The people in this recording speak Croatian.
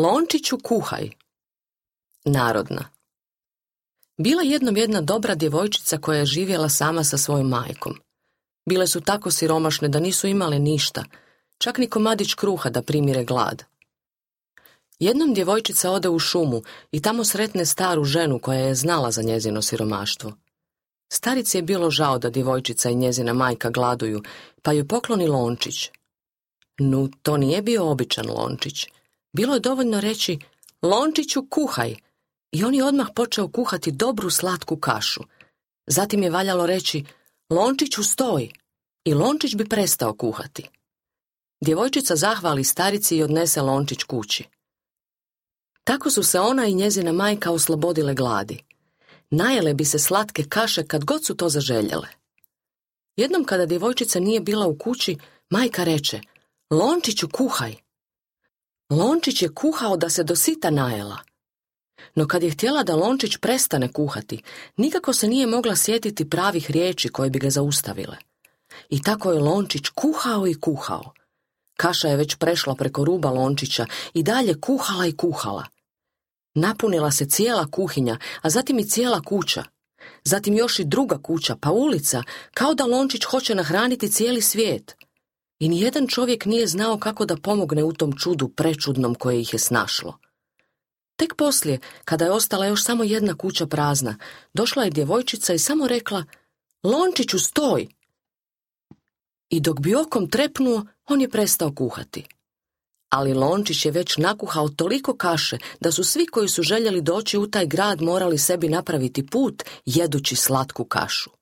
Lončiću kuhaj. Narodna. Bila jednom jedna dobra djevojčica koja je živjela sama sa svojom majkom. Bile su tako siromašne da nisu imale ništa, čak ni komadić kruha da primire glad. Jednom djevojčica ode u šumu i tamo sretne staru ženu koja je znala za njezino siromaštvo. Starici je bilo žao da djevojčica i njezina majka gladuju, pa joj pokloni lončić. No, to nije bio običan lončić. Bilo je dovoljno reći, Lončiću kuhaj, i on je odmah počeo kuhati dobru slatku kašu. Zatim je valjalo reći, Lončiću stoj, i lončić bi prestao kuhati. Djevojčica zahvali starici i odnese lončić kući. Tako su se ona i njezina majka oslobodile gladi. Najele bi se slatke kaše kad god su to zaželjele. Jednom kada djevojčica nije bila u kući, majka reče, Lončiću kuhaj. Lončić je kuhao da se do sita najela. No kad je htjela da lončić prestane kuhati, nikako se nije mogla sjetiti pravih riječi koje bi ga zaustavile. I tako je lončić kuhao i kuhao. Kaša je već prešla preko ruba lončića i dalje kuhala i kuhala. Napunila se cijela kuhinja, a zatim i cijela kuća. Zatim još i druga kuća, pa ulica, kao da lončić hoće nahraniti cijeli svijet. I nijedan čovjek nije znao kako da pomogne u tom čudu prečudnom koje ih je snašlo. Tek poslije, kada je ostala još samo jedna kuća prazna, došla je djevojčica i samo rekla, Lončiću stoj! I dok bi okom trepnuo, on je prestao kuhati. Ali lončić je već nakuhao toliko kaše da su svi koji su željeli doći u taj grad morali sebi napraviti put jedući slatku kašu.